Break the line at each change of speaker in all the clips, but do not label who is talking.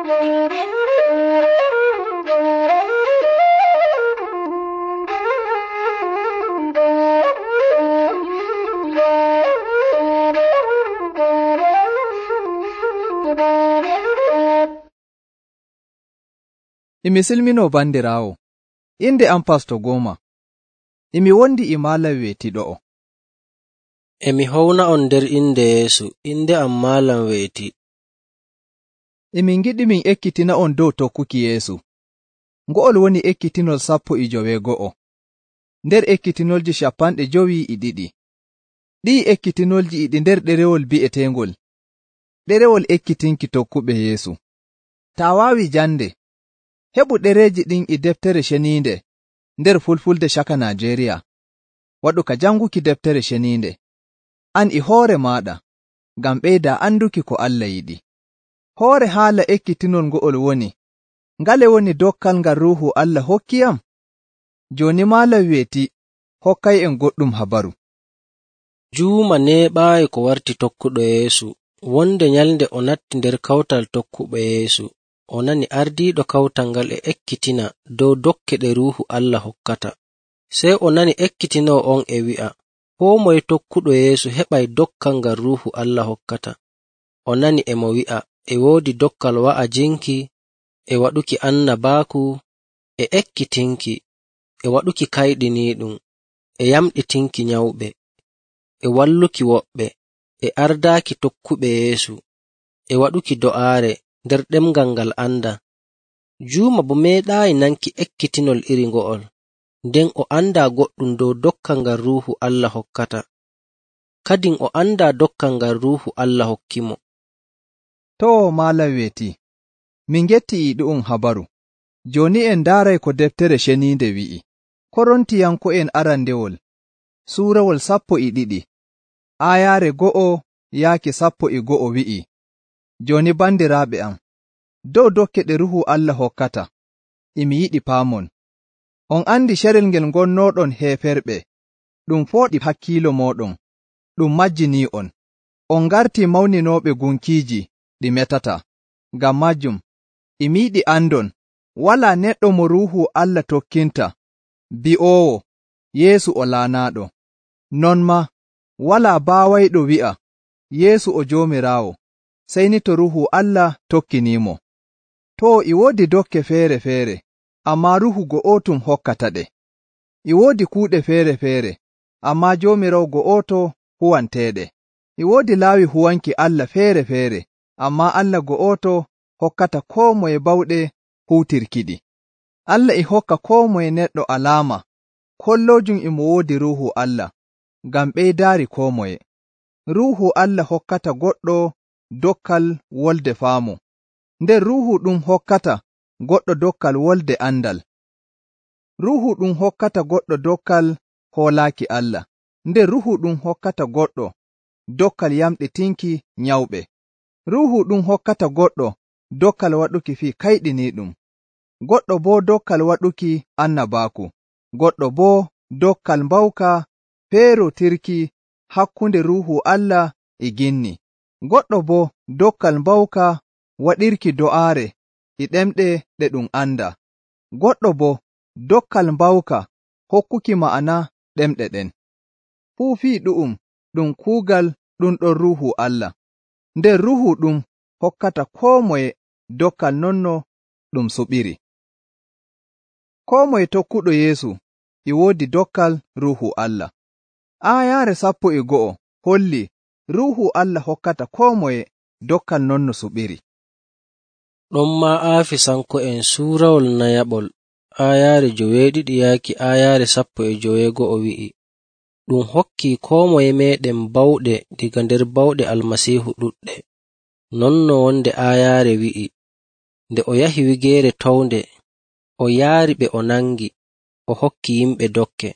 Imi silmino bandiraawo, inde am Pasto Goma. Imi wondi e Malam weetiɗo'o.
Emi howna on nder inde Yeesu, inde am Malam weeti.
Emin ngiɗi min ekkitina on dow tokkuki Yeesu. Ngo'ol woni ekkitinol 12. Nder ekkitinolji 52. Ɗii ekkitinolji e ɗi nder ɗerewol bi'eteengol ɗerewol ekkitinki tokkuɓe Yeesu. Taa waawi jande, heɓu ɗereeji ɗin e deftere ceniinde nder Fulfulde caka Najeriya. Waɗu ka janguki deftere ceniinde, an e hoore maaɗa, ngam ɓeydaa anduki ko Allah yiɗi. Hoore haala ekkitinol ngo'ol woni, ngale woni dokkal ngal Ruuhu Allah hokkiyam? Jooni Malam weeti hokkay'en goɗɗum habaru.
Juuma neeɓaayi ko warti tokkuɗo Yeesu. Wonde nyalnde o natti nder kawtal tokkuɓe Yeesu, o nani ardiiɗo kawtal ngal e ekkitina dow dokke ɗe Ruuhu Allah hokkata. Sey o nani ekkitinoo on e wi'a, koo moye tokkuɗo Yeesu heɓay dokkal ngal Ruuhu Allah hokkata. O nani e mo wi'a, e woodi dokkal wa'ajinki, e waɗuki annabaaku, e ekkitinki, e waɗuki kayɗiniiɗum, e yamɗitinki nyawɓe, e walluki woɓɓe, e ardaaki tokkuɓe Yeesu, e waɗuki do'aare nder ɗemngal ngal anda. Juuma bo meeɗaayi nanki ekkitinol iri ngo'ol, nden o andaa goɗɗum dow dokkal ngal Ruuhu Allah hokkata. Kadin o andaa dokkal ngal Ruuhu Allah hokkimo.
Too Malam weeti, min getti e ɗu'um habaru. Jooni en ndaaray ko deftere ceniinde wi'i. Korontiyanko'en arandewol, suurawol 12, aayaare 1 yaaki 11 wi'i. Jooni bandiraaɓe am, dow dokke ɗe Ruuhu Allah hokkata, imi yiɗi paamon. On andi carel ngel ngonnooɗon heeferɓe, ɗum fooɗi hakkiilo mooɗon, ɗum majjinii'on. On ngartii mawninooɓe gunkiiji ɗi metata. Ngam majjum, imi yiɗi andon, walaa neɗɗo mo Ruuhu Allah tokkinta, bi'oowo, Yeesu o laanaaɗo. Non maa, walaa baawayɗo wi'a, Yeesu o Joomiraawo, sey ni to Ruuhu Allah tokkiniimo. Too e woodi dokke feere-feere, ammaa Ruuhu go'otum hokkata ɗe. E woodi kuuɗe feere-feere, ammaa Joomiraawo go'oto huwanteeɗe. E woodi laawi huwanki Allah feere-feere, ammaa Allah go'oto hokkata koo moye bawɗe huutirkiɗi. Allah e hokka koo moye neɗɗo alaama, kolloojum e mo woodi Ruuhu Allah, ngam ɓeydaari koo moye. Ruuhu Allah hokkata goɗɗo dokkal wolde faamu, nder Ruuhu ɗum hokkata goɗɗo dokkal wolde andal. Ruuhu ɗum hokkata goɗɗo dokkal hoolaaki Allah, nder Ruuhu ɗum hokkata goɗɗo dokkal yamɗitinki nyawɓe. Ruuhu ɗum hokkata goɗɗo dokkal waɗuki fii kayɗiniiɗum, goɗɗo boo dokkal waɗuki annabaaku, goɗɗo boo dokkal mbawka feerotirki hakkunde Ruuhu Allah e ginni, goɗɗo boo dokkal mbawka waɗirki do'aare e ɗemɗe ɗe ɗum anda, goɗɗo boo dokkal mbawka hokkuki ma'ana ɗemɗe ɗen. Fuu fii ɗu'um ɗum kuugal ɗum ɗon Ruuhu Allah, nder Ruuhu ɗum hokkata koo moye dokkal nonno ɗum suɓiri. Koo moye tokkuɗo Yeesu e woodi dokkal Ruuhu Allah. Aayaare 11 holli Ruuhu Allah hokkata koo moye dokkal nonno suɓiri.
Ɗon maa Aafisanko'en suurawol nayaɓol, aayaare 12 yaaki aayaare 11 wi'i, ɗum hokki koo moye meeɗen bawɗe diga nder bawɗe Almasiihu ɗuɗɗe. Nonno wonde aayaare wi'i, nde o yahi wigeere townde, o yaari ɓe o nangi, o hokki yimɓe dokke.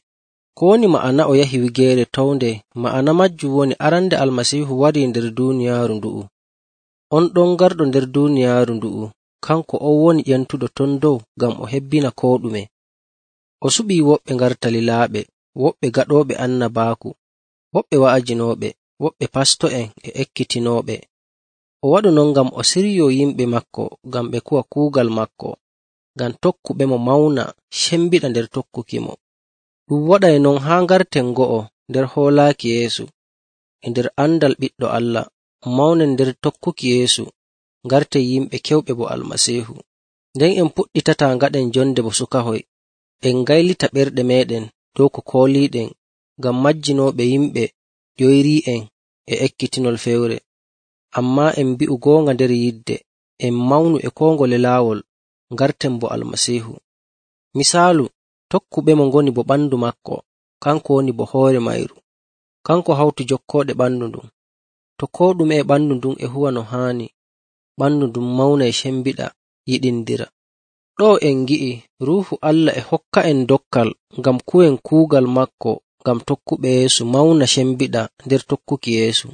Ko woni ma'ana o yahi wigeere townde? Ma'ana majjum woni arande Almasiihu warii nder duuniyaaru ndu'u. On ɗon garɗo nder duuniyaaru ndu'u, kanko on woni ƴentuɗo ton dow ngam o hebbina koo ɗume. O suɓii woɓɓe ngarta lilaaɓe, woɓɓe gaɗooɓe annabaaku, woɓɓe wa'ajinooɓe, woɓɓe pasto'en e ekkitinooɓe. O waɗu non ngam o siryoo yimɓe maako ngam ɓe kuwa kuugal maako, ngam tokkuɓemo mawna cembiɗa nder tokkuki mo. Ɗum waɗay non haa ngarten go'o nder hoolaaki Yeesu, e nder andal Ɓiɗɗo Allah, mawnen nder tokkuki Yeesu, ngarten yimɓe kewɓe bo Almasiihu. Nden en puɗɗitataa ngaɗen jonde bo sukahoy, en ngaylita ɓerɗe meeɗen dow ko kooliiɗen, ngam majjinooɓe yimɓe ƴoyrii'en e ekkitinol fewre. Ammaa en mbi'u goonga nder yidde, en mawnu e koo ngole laawol, ngarten bo Almasiihu. Misaalu, tokkuɓemo ngoni bo ɓandu maako, kanko woni bo hoore mayru. Kanko hawti jokkooɗe ɓandu ndun. To koo ɗume e ɓandu ndun e huwa no haani, ɓandu ndun mawnay cembiɗa, yiɗindira. Ɗo en ngi'i Ruuhu Allah e hokka'en dokkal ngam kuwen kuugal maako, ngam tokkuɓe Yeesu mawna cembiɗa nder tokkuki Yeesu.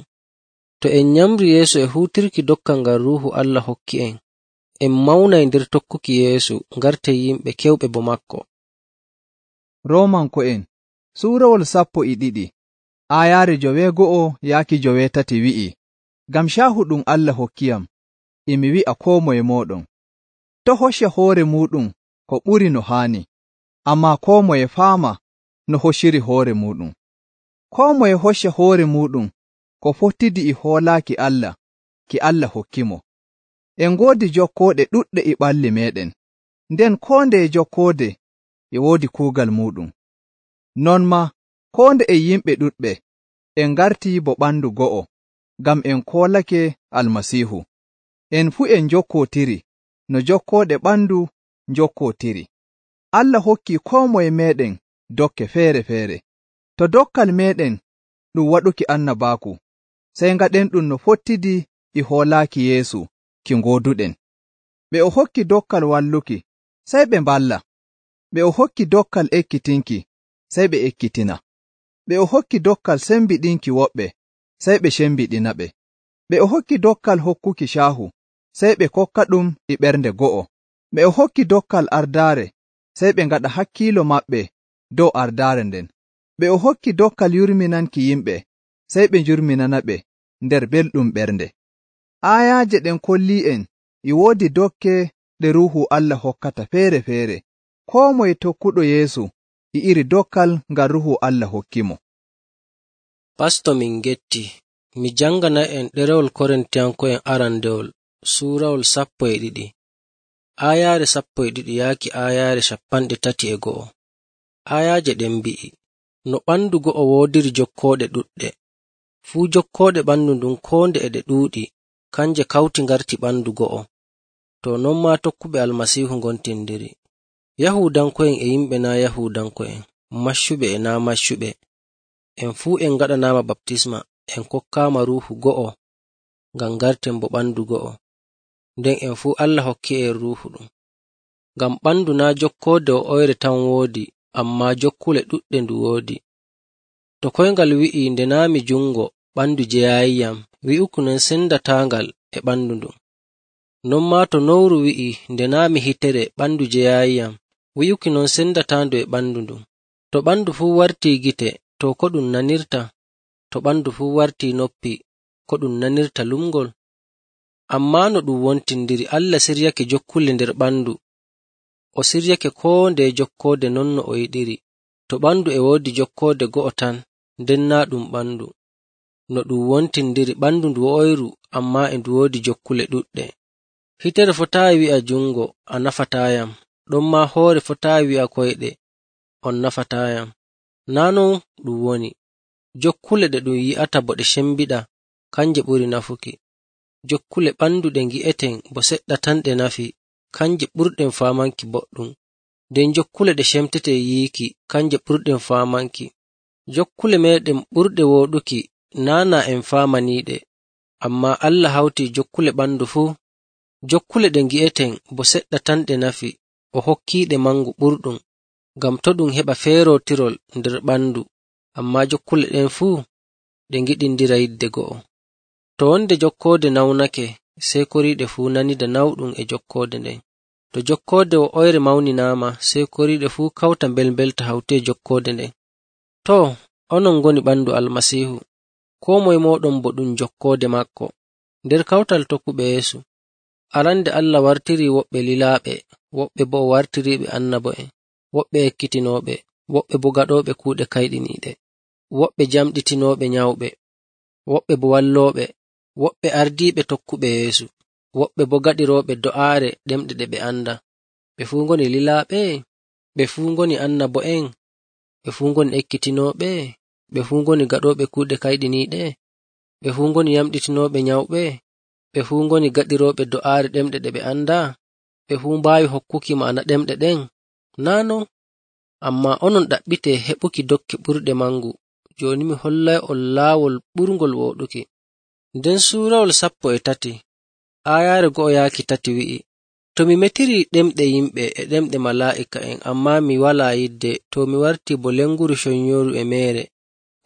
To en nyamri Yeesu e huutirki dokkal ngal Ruuhu Allah hokki'en, en mawnay nder tokkuki Yeesu, ngarten yimɓe kewɓe bo maako.
Roomanko'en suurawol 12 aayaare 9-13 wi'i, ngam caahu ɗum Allah hokkiyam, e mi wi'a koo moye mooɗon, to' hocca hoore muuɗum ko ɓuri no haani, ammaa koo moye faama no hocciri hoore muuɗum. Koo moye hocca hoore muuɗum ko fottidi e hoolaaki Allah ki Allah hokkimo. En ngoodi jokkooɗe ɗuɗɗe e ɓalli meeɗen, nden koo ndeye jokkoode e woodi kuugal muuɗum. Non maa koo nde e yimɓe ɗuɗɓe en ngartii bo ɓandu go'o, ngam en koolake Almasiihu. En fuu en jokkootiri no jokkooɗe ɓandu jokkootiri. Allah hokkii koo moye meeɗen dokke feere-feere. To dokkal meeɗen ɗum waɗuki annabaaku, sey ngaɗen ɗum no fottidi e hoolaaki Yeesu ki ngooduɗen. Ɓe o hokki dokkal walluki, sey ɓe mballa. Ɓe o hokki dokkal ekkitinki, sey ɓe ekkitina. Ɓe o hokki dokkal sembiɗinki woɓɓe, sey ɓe cembiɗinaɓe. Ɓe o hokki dokkal hokkuki caahu, sey ɓe kokka ɗum e ɓernde go'o. Ɓe o hokki dokkal ardaare, sey ɓe ngaɗa hakkiilo maɓɓe dow ardaare nden. Ɓe o hokki dokkal yurminanki yimɓe, sey ɓe njurminanaɓe nder belɗum ɓernde. Aayaaje ɗen kollii'en e woodi dokke ɗe Ruuhu Allah hokkata feere-feere. Koo moye tokkuɗo Yeesu e iri dokkal ngal Ruuhu Allah hokkimo.
Pasto min getti, mi jangana'en ɗerewol Korintiyanko'en arandewol, suurawol 12, aayaare 12 yaaki aayaare 31. Aayaaje ɗen mbi'i, no ɓandu go'o woodiri jokkooɗe ɗuɗɗe, fuu jokkooɗe ɓandu ndun koo nde e ɗe ɗuuɗi, kanje kawti ngarti ɓandu go'o. To non maa tokkuɓe Almasiihu ngontindiri. Yahuudanko'en e yimɓe naa Yahuudanko'en, maccuɓe e naa maccuɓe, en fuu en ngaɗanaama baptisma, en kokkaama Ruuhu go'o, ngam ngarten bo ɓandu go'o. Nden en fuu Allah hokki en Ruuhu ɗum. Ngam ɓandu naa jokkoode o oyre tan woodi, ammaa jokkule ɗuɗɗe ndu woodi. To koyngal wi'i nde naami jungo ɓandu jeyaayiyam, wi'uki non sendataangal e ɓandu ndun. Non maa to nowru wi'i nde naami hitere ɓandu jeyaayiyam, wi'uki non sendataandu e ɓandu ndun. To ɓandu fuu wartii gite, to ko ɗum nanirta? To ɓandu fuu wartii noppi, ko ɗum nanirta lumgol? Ammaa no ɗum wontindiri, Allah siryake jokkule nder ɓandu. O siryake koo ndeye jokkoode non no o yiɗiri. To ɓandu e woodi jokkoode go'o tan, nden naa ɗum ɓandu. No ɗum wontindiri, ɓandu ndu oyru, ammaa e ndu woodi jokkule ɗuɗɗe. Hitere fotaayi wi'a jungo, a nafataayam, ɗon maa hoore fotaayi wi'a koyɗe, on nafataayam. Naa non ɗum woni. Jokkule ɗe ɗum yi'ata bo ɗe cembiɗa, kanje ɓuri nafuki. Jokkule ɓandu ɗe ngi'eten bo seɗɗa tan ɗe nafi, kanje ɓurɗen faamanki boɗɗum. Nden jokkule ɗe cemtete yiiki, kanje ɓurɗen faamanki. Jokkule meeɗen ɓurɗe wooɗuki, naana en faamaniiɗe, ammaa Allah hawtii jokkule ɓandu fuu. Jokkule ɗe ngi'eten bo seɗɗa tan ɗe nafi, o hokkiiɗe mangu ɓurɗum, ngam to ɗum heɓa feerotirol nder ɓandu, ammaa jokkule ɗen fuu ɗe ngiɗindira yidde go'o. To wonde jokkoode nawnake, sey koriiɗe fuu nanida nawɗum e jokkoode nden. To jokkoode o oyre mawninaama, sey koriiɗe fuu kawta mbelmbelta hawtee jokkoode nden. To, onon ngoni ɓandu Almasiihu, koo moye mooɗon bo ɗum jokkoode maako. Nder kawtal tokkuɓe Yeesu, arande Allah wartiri woɓɓe lilaaɓe, woɓɓe bo o wartiriɓe annabo'en, woɓɓe ekkitinooɓe, woɓɓe bo gaɗooɓe kuuɗe kayɗiniiɗe, woɓɓe jamɗitinooɓe nyawɓe, woɓɓe bo wallooɓe, woɓɓe ardiiɓe tokkuɓe Yeesu, woɓɓe bo gaɗirooɓe do'aare ɗemɗe ɗe ɓe anda. Ɓe fuu ngoni lilaaɓe, ɓe fuu ngoni annabo'en, ɓe fuu ngoni ekkitinooɓe, ɓe fuu ngoni gaɗooɓe kuuɗe kayɗiniiɗe, ɓe fuu ngoni yamɗitinooɓe nyawɓe, ɓe fuu ngoni gaɗirooɓe do'aare ɗemɗe ɗe ɓe anda, ɓe fuu mbaawi hokkuki ma'ana ɗemɗe ɗen. Naa non, ammaa onon ɗaɓɓitee heɓuki dokke ɓurɗe mangu. Jooni mi hollay'on laawol ɓurngol wooɗuki. Nden suurawol 13 aayaare 1-3 wi'i, to mi metiri ɗemɗe yimɓe e ɗemɗe malaa'ika'en, ammaa mi walaa yidde, to mi wartii bo lenguru conyooru e meere,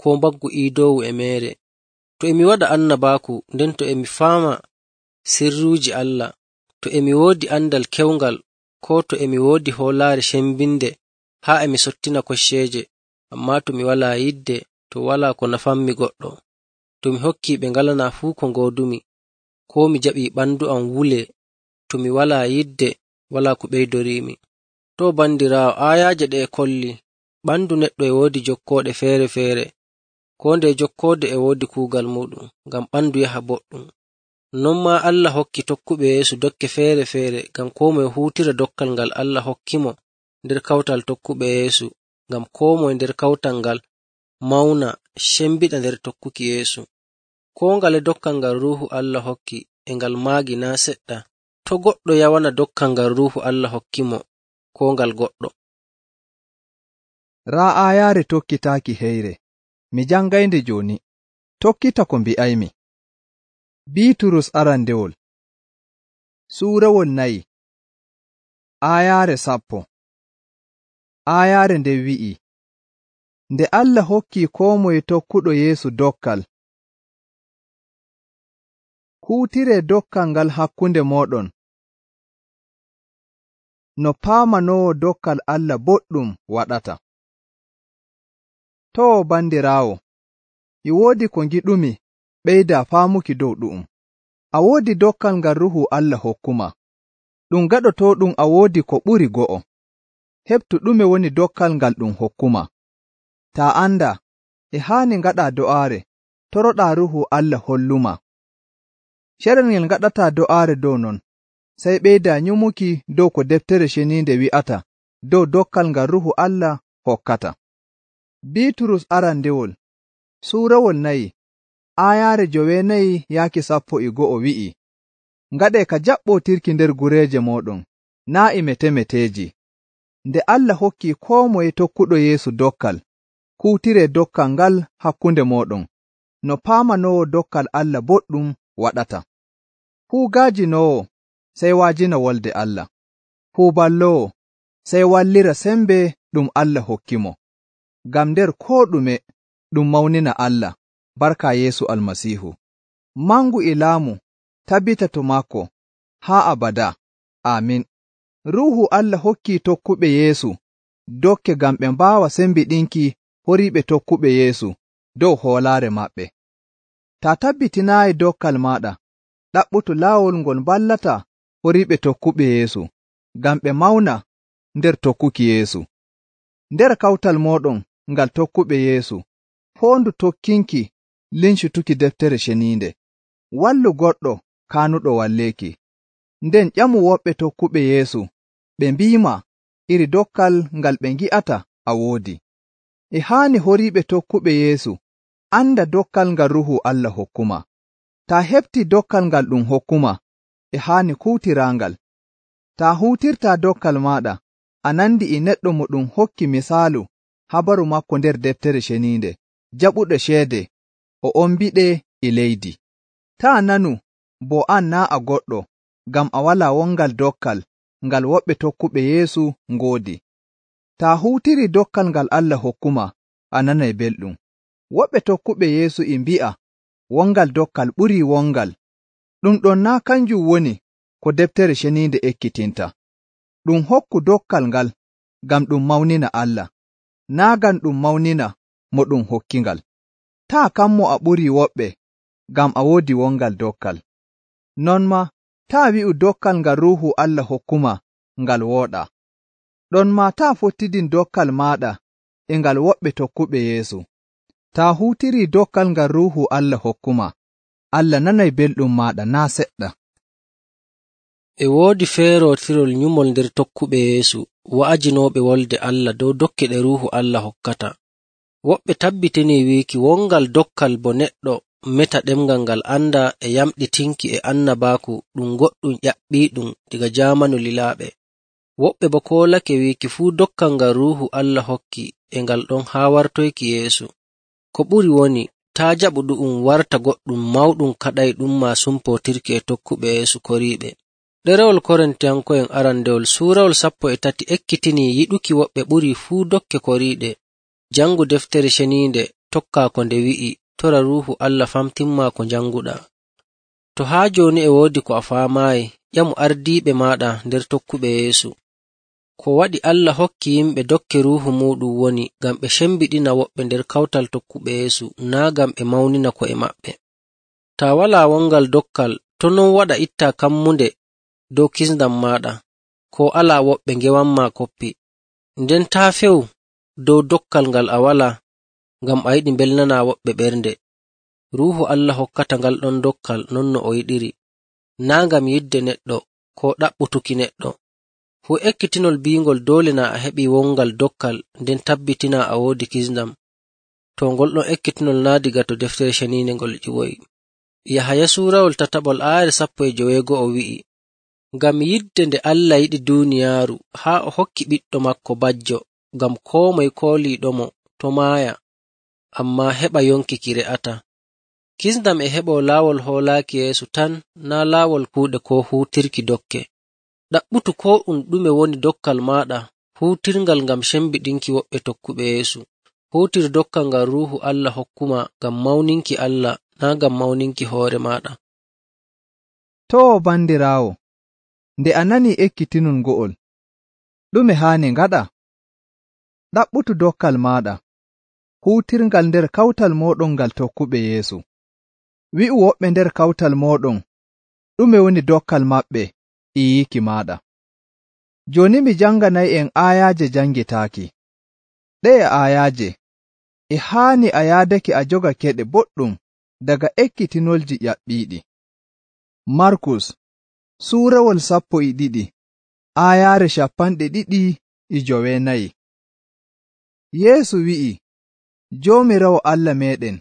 koo mbaggu iidoowu e meere. To e mi waɗa annabaaku, nden to e mi faama sirruuji Allah, to e mi woodi andal kewngal, koo to e mi woodi hoolaare cembinde haa e mi sottina kocceeje, ammaa to mi walaa yidde, to walaa ko nafanmi goɗɗo, to mi hokkii ɓe ngalanaa fuu ko ngoodumi, koo mi jaɓii ɓandu am wulee, to mi walaa yidde, walaa ko ɓeydoriimi. To bandiraawo, aayaaje ɗe e kolli ɓandu neɗɗo e woodi jokkooɗe feere-feere, koo nde jokkoode e woodi kuugal muɗum, ngam ɓandu yaha boɗɗum. Non maa Allah hokki tokkuɓe Yeesu dokke feere-feere, ngam koo moye huutira dokkal ngal Allah hokkimo nder kawtal tokkuɓe Yeesu, ngam koo moye nder kawtal ngal mawna cembiɗa nder tokkuki Yeesu. Koo ngale dokkal ngal Ruuhu Allah hokki e ngal maagi naa seɗɗa. To goɗɗo yawana dokkal ngal Ruuhu Allah hokkimo, koo ngal goɗɗo.
Raa aayaare tokkitaaki heyre, mi jangaynde jooni, tokkita ko mbi'aymi. Biiturus arandewol suurawol 4 aayaare 10. Aayaare nde wi'i, nde Allah hokki koo moye tokkuɗo Yeesu dokkal, huutiree dokkal ngal hakkunde mooɗon, no paamanoowo dokkal Allah boɗɗum waɗata. Too bandiraawo, e woodi ko ngiɗumi ɓeydaa faamuki dow ɗu'um. A woodi dokkal ngal Ruuhu Allah hokkuma. Ɗum gaɗotooɗum a woodi ko ɓuri go'o. Heɓtu ɗume woni dokkal ngal ɗum hokkuma. Taa anda, e haani ngaɗaa do'aare, toroɗaa Ruuhu Allah holluma. Carel ngel ngaɗataa do'aare dow non, sey ɓeydaa nyumuki dow ko deftere ceniinde wi'ata dow dokkal ngal Ruuhu Allah hokkata. Biiturus arandewol suurawol 4 aayaare 9-11 wi'i, ngaɗee ka jaɓɓootirki nder gureeje mooɗon, naa e mete-meteeji. Nde Allah hokki koo moye tokkuɗo Yeesu dokkal, kuutiree dokkal ngal hakkunde mooɗon, no paamanoowo dokkal Allah boɗɗum waɗata. Fuu gaajinoowo sey waajina wolde Allah. Fuu balloowo sey wallira sembe ɗum Allah hokkimo. Ngam nder koo ɗume ɗum mawnina Allah, barka Yeesu Almasiihu. Mangu e laamu tabbita to maako haa abada. Aamin. Ruuhu Allah hokki tokkuɓe Yeesu dokke ngam ɓe mbaawa sembiɗinki horiiɓe tokkuɓe Yeesu dow hoolaare maɓɓe. Taa tabbitinaayi dokkal maaɗa, ɗaɓɓutu laawol ngol ballata horiiɓe tokkuɓe Yeesu, ngam ɓe mawna nder tokkuki Yeesu. Nder kawtal mooɗon ngal tokkuɓe Yeesu, foondu tokkinki lincituki deftere ceniinde. Wallu goɗɗo kaanuɗo walleeki. Nden ƴamu woɓɓe tokkuɓe Yeesu, ɓe mbiima iri dokkal ngal ɓe ngi'ata a woodi. E haani horiiɓe tokkuɓe Yeesu anda dokkal ngal Ruuhu Allah hokkuma. Taa heɓti dokkal ngal ɗum hokkuma, e haani kuutiraangal. Taa huutirtaa dokkal maaɗa, a nandi e neɗɗo mo ɗum hokki misaalu habaru makko nder deftere ceniinde, jaɓuɗo ceede, o ombiɗe e leydi. Taa nanu bo an naa a goɗɗo, ngam a walaa wongal dokkal ngal woɓɓe tokkuɓe Yeesu ngoodi. Taa huutiri dokkal ngal Allah hokkuma, a nanay belɗum. Woɓɓe tokkuɓe Yeesu e mbi'a wongal dokkal ɓurii wongal. Ɗum ɗon naa kanjum woni ko deftere ceniinde ekkitinta. Ɗum hokku dokkal ngal ngam ɗum mawnina Allah, naa ngam ɗum mawnina mo ɗum hokkingal. Taa kammo a ɓurii woɓɓe ngam a woodi wongal dokkal. Non maa taa wi'u dokkal ngal Ruuhu Allah hokkuma ngal wooɗaa. Ɗon maa taa fottidin dokkal maaɗa e ngal woɓɓe tokkuɓe Yeesu. Taa huutirii dokkal ngal Ruuhu Allah hokkuma, Allah nanay belɗum maaɗa naa seɗɗa.
E woodi feerootirol nyumol nder tokkuɓe Yeesu wa'ajinooɓe wolde Allah dow dokke ɗe Ruuhu Allah hokkata. Woɓɓe tabbitinii wiiki wongal dokkal bo neɗɗo meta ɗemngal ngal anda e yamɗitinki e annabaaku ɗum goɗɗum ƴaɓɓiiɗum diga jaamanu lilaaɓe. Woɓɓe bo koolake wiiki fuu dokkal ngal Ruuhu Allah hokki e ngal ɗon haa wartoyki Yeesu. Ko ɓuri woni taa jaɓu ɗu'um warta goɗɗum mawɗum kaɗayɗum maa sumpootirki e tokkuɓe Yeesu koriiɓe. Ɗerewol Korintiyanko'en arandewol suurawol 13 ekkitinii yiɗuki woɓɓe ɓuri fuu dokke koriiɗe. Jangu deftere ceniinde tokkaa ko nde wi'i, tora Ruuhu Allah famtinmaa ko janguɗaa. To haa jooni e woodi ko a faamaayi, ƴamu ardiiɓe maaɗa nder tokkuɓe Yeesu. Ko waɗi Allah hokki yimɓe dokke Ruuhu muuɗum woni ngam ɓe cembiɗina woɓɓe nder kawtal tokkuɓe Yeesu, naa ngam ɓe mawnina ko'e maɓɓe. Taa walaa wongal dokkal, to non waɗa ittaa kammunde dow kisndam maaɗa, ko alaa woɓɓe ngewanmaa koppi. Nden taa few dow dokkal ngal a walaa, ngam a yiɗi mbelnanaa woɓɓe ɓernde. Ruuhu Allah hokkata ngal ɗon dokkal non no o yiɗiri, naa ngam yidde neɗɗo ko ɗaɓɓutuki neɗɗo. Fuu ekkitinol biingol doole na a heɓii wongal dokkal nden tabbitinaa a woodi kisndam. To ngol ɗon ekkitinol naa diga to deftere ceniinde ngol ƴiwoyi. Yahaya suurawol 3:15 wi'i, ngam yidde nde Allah yiɗi duuniyaaru haa o hokki ɓiɗɗo makko bajjo, ngam koo moye kooliiɗomo to maaya, ammaa heɓa yonki ki re'ata. Kisndam e heɓoo laawol hoolaaki Yeesu tan, naa laawol kuuɗe koo huutirki dokke. Ɗaɓɓutu koo ɗume woni dokkal maaɗa, huutirngal ngam cembiɗinki woɓɓe tokkuɓe Yeesu. Huutir dokkal ngal Ruuhu Allah hokkuma ngam mawninki Allah, naa ngam mawninki hoore maaɗa.
Too bandiraawo, nde a nanii ekkitinol ngo'ol, ɗume haani ngaɗa? Ɗaɓɓutu dokkal maaɗa, huutirngal nder kawtal mooɗon ngal tokkuɓe Yeesu. Wi'u woɓɓe nder kawtal mooɗon ɗume woni dokkal maɓɓe e yiiki maaɗa. Jooni mi janganay'en aayaaje jangitaaki. Ɗe'e aayaaje e haani a yaadake a joga keɗe boɗɗum daga ekkitinolji ƴaɓɓiiɗi. Markus suurawol 12 aayaare 24. Yeesu wi'i, Joomiraawo Allah meeɗen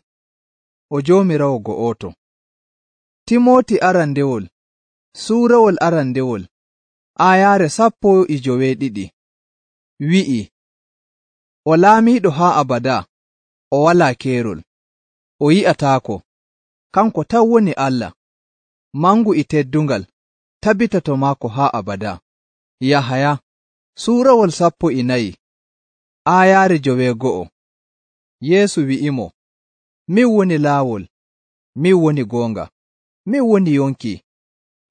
o Joomiraawo go'oto. Timooti arandewol suurawol arandewol aayaare 12 wi'i, o laamiiɗo haa abada, o walaa keerol, o yi'ataako, kanko tan woni Allah, mangu e teddungal, tabbita to maako haa abada. Yahaya suurawol 14 aayaare 9. Yeesu wi'imo, min woni laawol, min woni goonga, min woni yonki,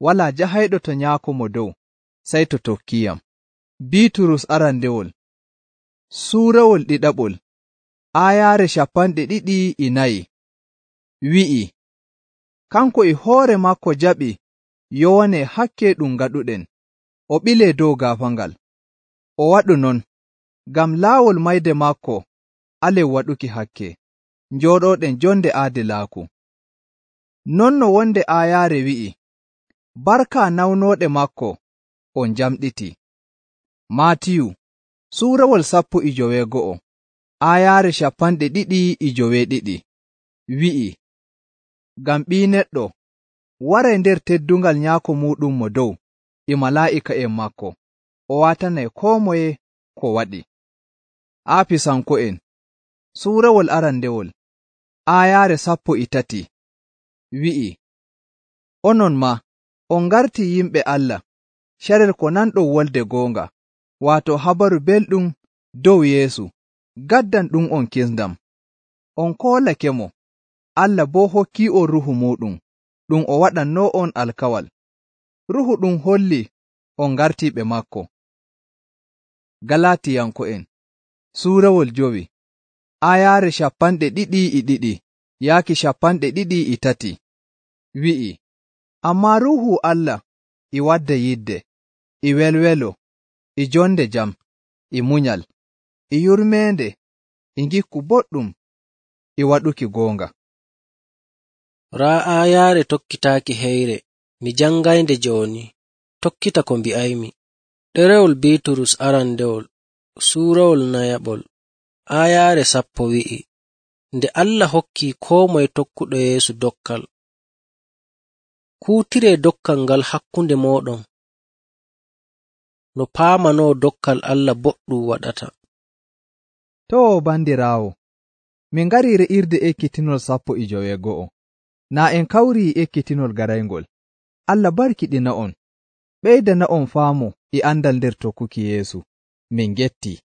walaa jahayɗo to nyaako mo dow, sey to tokkiyam. Biiturus arandewol suurawol 2 aayaare 24 wi'i, kanko e hoore makko jaɓi yowane hakke ɗum ngaɗuɗen, o ɓilee dow gaafangal. O waɗu non ngam laawol mayde makko alen waɗuki hakke, njooɗooɗen jonde aadilaaku. Non no wonde aayaare wi'i, barka nawnooɗe makko on jamɗiti. Maatiyu suurawol 19 aayaare 22 wi'i, ngam Ɓii Neɗɗo waray nder teddungal nyaako muuɗum mo dow e malaa'ika'en maako, o waatanay koo moye ko waɗi. Aafisanko'en suurawol arandewol aayaare 13 wi'i, onon maa on ngartii yimɓe Allah, carel ko nanɗon wolde goonga, waato habaru belɗum dow Yeesu, gaddan ɗum on kisndam. On koolake mo, Allah boo hokkii on Ruuhu muuɗum, ɗum o waɗannoo on alkawal. Ruuhu ɗum holli on ngartiiɓe maako. Galatiyanko'en suurawol 5 aayaare 22 yaaki 23 wi'i, Ammaa Ruuhu Allah e wadda yidde, e welwelo, e jonde jam, e munyal, e yurmeende, e ngikku boɗɗum, e waɗuki goonga.
Raa aayaare tokkitaaki heyre, mi jangaynde jooni, tokkita ko mbi'aymi. Ɗerewol Biiturus arandewol, suurawol nayaɓol, aayaare 10 wi'i, nde Allah hokkii koo moye tokkuɗo Yeesu dokkal. Kuutiree dokkal ngal hakkunde mooɗon, no paamanoo dokkal Allah boɗɗum waɗata.
Too bandiraawo, min ngarii re'irde ekkitinol 15. Naa en kawrii ekkitinol garayngol. Allah barkiɗina'on, ɓeydana'on faamu e andal nder tokkuki Yeesu. Min gettii.